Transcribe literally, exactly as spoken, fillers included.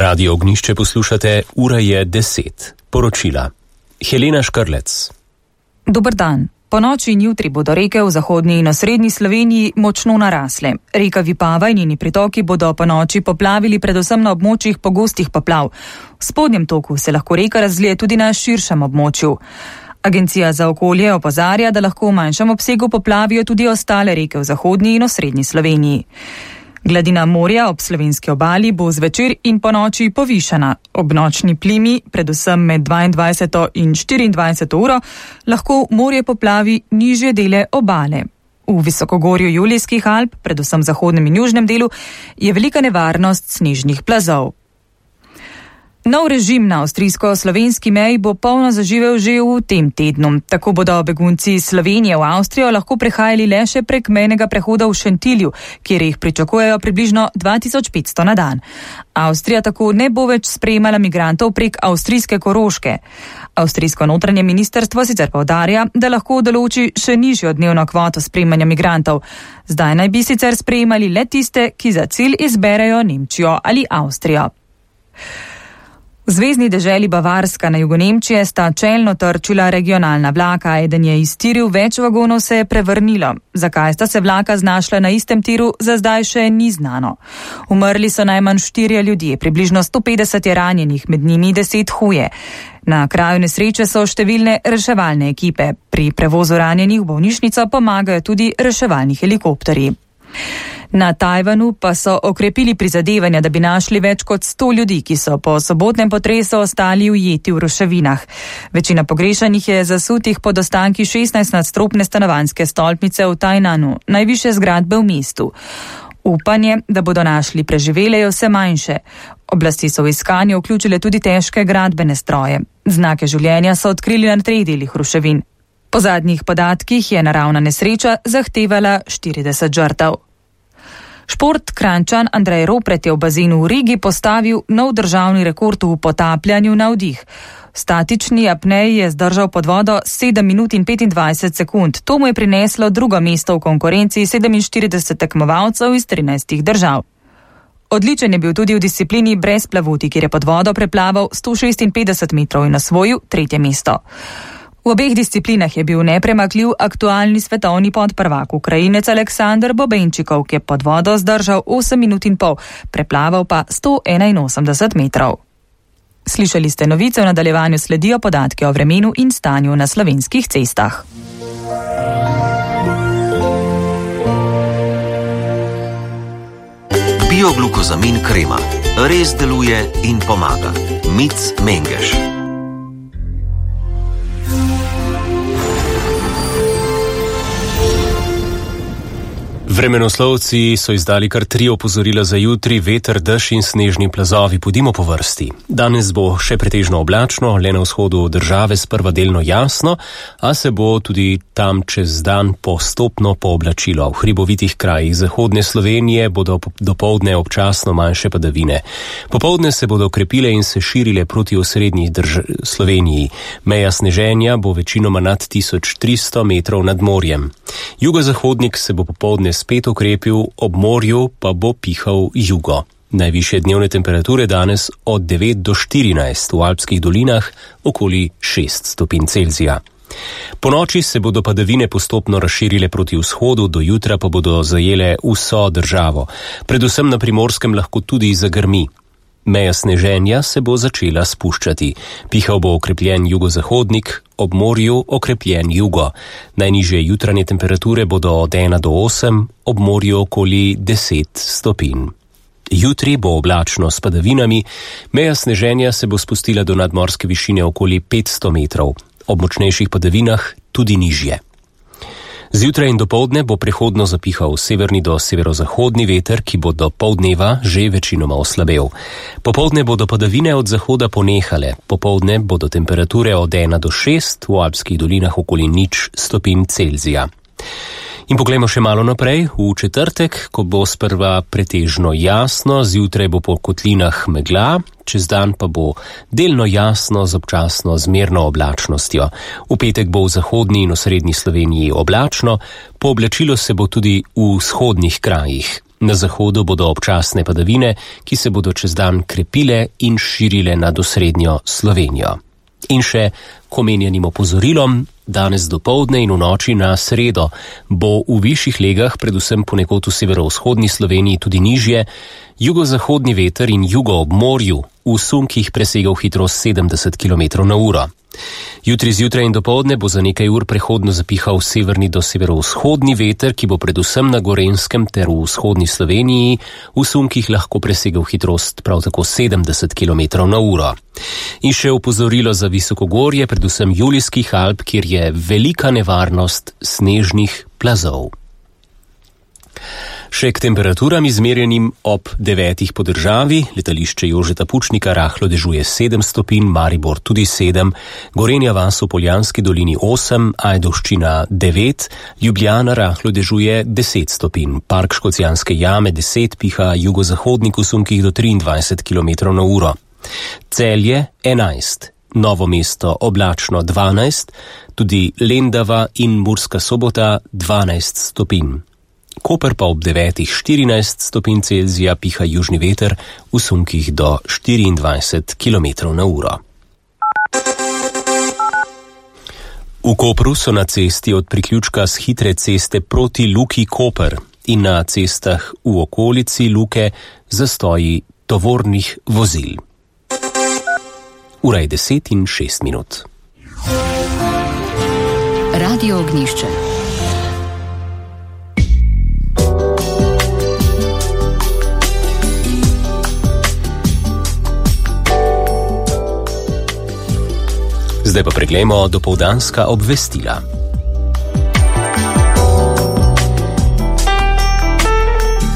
Radio Ognjišče poslušate, ura je deset. Poročila. Helena Škrlec. Dober dan. Po noči in jutri bodo reke v zahodnji in osrednji Sloveniji močno narasle. Reka Vipava in njeni pritoki bodo po noči poplavili predvsem na območjih pogostih poplav. V spodnjem toku se lahko reka razlije tudi na širšem območju. Agencija za okolje opozarja, da lahko v manjšem obsegu poplavijo tudi ostale reke v zahodnji in osrednji Sloveniji. Gladina morja ob slovenski obali bo zvečer in po noči povišana. Ob nočni plimi, predvsem med dvaindvajseto in štiriindvajseto uro, lahko morje poplavi nižje dele obale. V visokogorju Julijskih Alp, predvsem v zahodnem in južnem delu, je velika nevarnost snežnih plazov. Nov režim na avstrijsko-slovenski meji bo polno zaživel že v tem tednu. Tako bodo begunci iz Slovenije v Avstrijo lahko prehajali le še prek mejnega prehoda v Šentilju, kjer jih pričakujejo približno dva tisoč petsto na dan. Avstrija tako ne bo več sprejemala migrantov prek avstrijske Koroške. Avstrijsko notranje ministrstvo sicer poudarja, da lahko določi še nižjo dnevno kvoto sprejemanja migrantov. Zdaj naj bi sicer sprejemali le tiste, ki za cilj izberejo Nemčijo ali Avstrijo. V zvezni deželi Bavarska na jugu Nemčije sta čelno trčila regionalna vlaka, eden je iztiril, več vagonov se je prevrnilo. Zakaj sta se vlaka znašla na istem tiru, za zdaj še ni znano. Umrli so najmanj štirje ljudje, približno sto petdeset je ranjenih, med njimi deset huje. Na kraju nesreče so številne reševalne ekipe. Pri prevozu ranjenih v bolnišnico pomagajo tudi reševalni helikopterji. Na Tajvanu pa so okrepili prizadevanja, da bi našli več kot sto ljudi, ki so po sobotnem potresu ostali ujeti v ruševinah. Večina pogrešanih je zasutih pod ostanki šestnajstnadstropne stanovanjske stolpnice v Tajnanu, najvišje zgradbe v mestu. Upanje, da bodo našli preživele, je vse manjše. Oblasti so v iskanje vključile tudi težke gradbene stroje. Znake življenja so odkrili na treh delih ruševin. Po zadnjih podatkih je naravna nesreča zahtevala štirideset žrtev. Šport Kranjčan Andrej Ropret je v bazenu v Rigi postavil nov državni rekord v potapljanju na vdih. V statični apneji je zdržal pod vodo sedem minut in petindvajset sekund. To mu je prineslo drugo mesto v konkurenci sedeminštirideset tekmovalcev iz trinajstih držav. Odličen je bil tudi v disciplini brez plavuti, kjer je pod vodo preplaval sto šestinpetdeset metrov in osvojil tretje mesto. V obeh disciplinah je bil nepremakljiv aktualni svetovni podprvak Ukrajinec Aleksandr Bobenčikov, ki je pod vodo zdržal osem minut in pol, preplaval pa sto enainosemdeset metrov. Slišali ste novice, v nadaljevanju sledijo podatki o vremenu in stanju na slovenskih cestah. Bioglukozamin krema. Res deluje in pomaga. Mic Mengeš. Vremenoslovci so izdali kar tri opozorila za jutri, veter, dež in snežni plazovi. Pojdimo po vrsti. Danes bo še pretežno oblačno, le na vzhodu države sprva delno jasno, a se bo tudi tam čez dan postopno pooblačilo. V hribovitih krajih zahodne Slovenije bodo dopoldne občasno manjše padavine. Popoldne se bodo okrepile in se širile proti osrednji drž- Sloveniji. Meja sneženja bo večinoma nad tisoč tristo metrov nad morjem. Jugozahodnik se bo popoldne spet okrepil, ob morju pa bo pihal jugo. Najvišje dnevne temperature danes od devet do štirinajst, v alpskih dolinah okoli šest stopinj Celzija. Po noči se bodo padavine postopno razširile proti vzhodu, do jutra pa bodo zajele vso državo. Predvsem na Primorskem lahko tudi zagrmi. Meja sneženja se bo začela spuščati. Pihal bo okrepljen jugozahodnik, ob morju okrepljen jugo. Najnižje jutranje temperature bodo od ena do osem, ob morju okoli deset stopinj. Jutri bo oblačno s padavinami, meja sneženja se bo spustila do nadmorske višine okoli petsto metrov, ob močnejših padavinah tudi nižje. Zjutraj in dopoldne bo prehodno zapihal severni do severozahodni veter, ki bo do poldneva že večinoma oslabel. Popoldne bodo padavine od zahoda ponehale, popoldne bodo temperature od ena do šest, v alpskih dolinah okoli nič stopinj Celzija. In poglejmo še malo naprej, v četrtek, ko bo sprva pretežno jasno, zjutraj bo po kotlinah megla, čez dan pa bo delno jasno z občasno zmerno oblačnostjo. V petek bo v zahodni in osrednji Sloveniji oblačno, pooblačilo se bo tudi v vzhodnih krajih. Na zahodu bodo občasne padavine, ki se bodo čez dan krepile in širile nad osrednjo Slovenijo. In še k omenjenim opozorilom, danes dopoldne in v noči na sredo bo v višjih legah, predvsem ponekod v severovzhodni Sloveniji tudi nižje, jugozahodni veter in jugo ob morju v sunkih presegal hitrost sedemdeset kilometrov na uro. Jutri zjutraj in dopoldne bo za nekaj ur prehodno zapihal severni do severovzhodni veter, ki bo predvsem na Gorenjskem ter v vzhodni Sloveniji v sunkih lahko presegal hitrost prav tako sedemdeset kilometrov na uro. In še opozorilo za visokogorje, predvsem Julijskih Alp, kjer je velika nevarnost snežnih plazov. Še k temperaturam izmerjenim ob devetih po državi, letališče Jožeta Pučnika rahlo dežuje sedem stopinj, Maribor tudi sedem, Gorenja vas v Poljanski dolini osem, Ajdovščina devet, Ljubljana rahlo dežuje deset stopinj, Park Škocjanske jame deset, piha jugozahodnik v sunkih do triindvajset kilometrov na uro. Celje enajst, Novo mesto oblačno dvanajst, tudi Lendava in Murska Sobota dvanajst stopinj. Koper pa ob devetih štirinajst stopinj Celzija, piha južni veter v sunkih do štiriindvajset kilometrov na uro. V Kopru so na cesti od priključka z hitre ceste proti Luki Koper in na cestah v okolici Luke zastoji tovornih vozil. Ura je deset in šest minut. Radio Ognjišče. Zdaj pa preglejmo dopoldanska obvestila.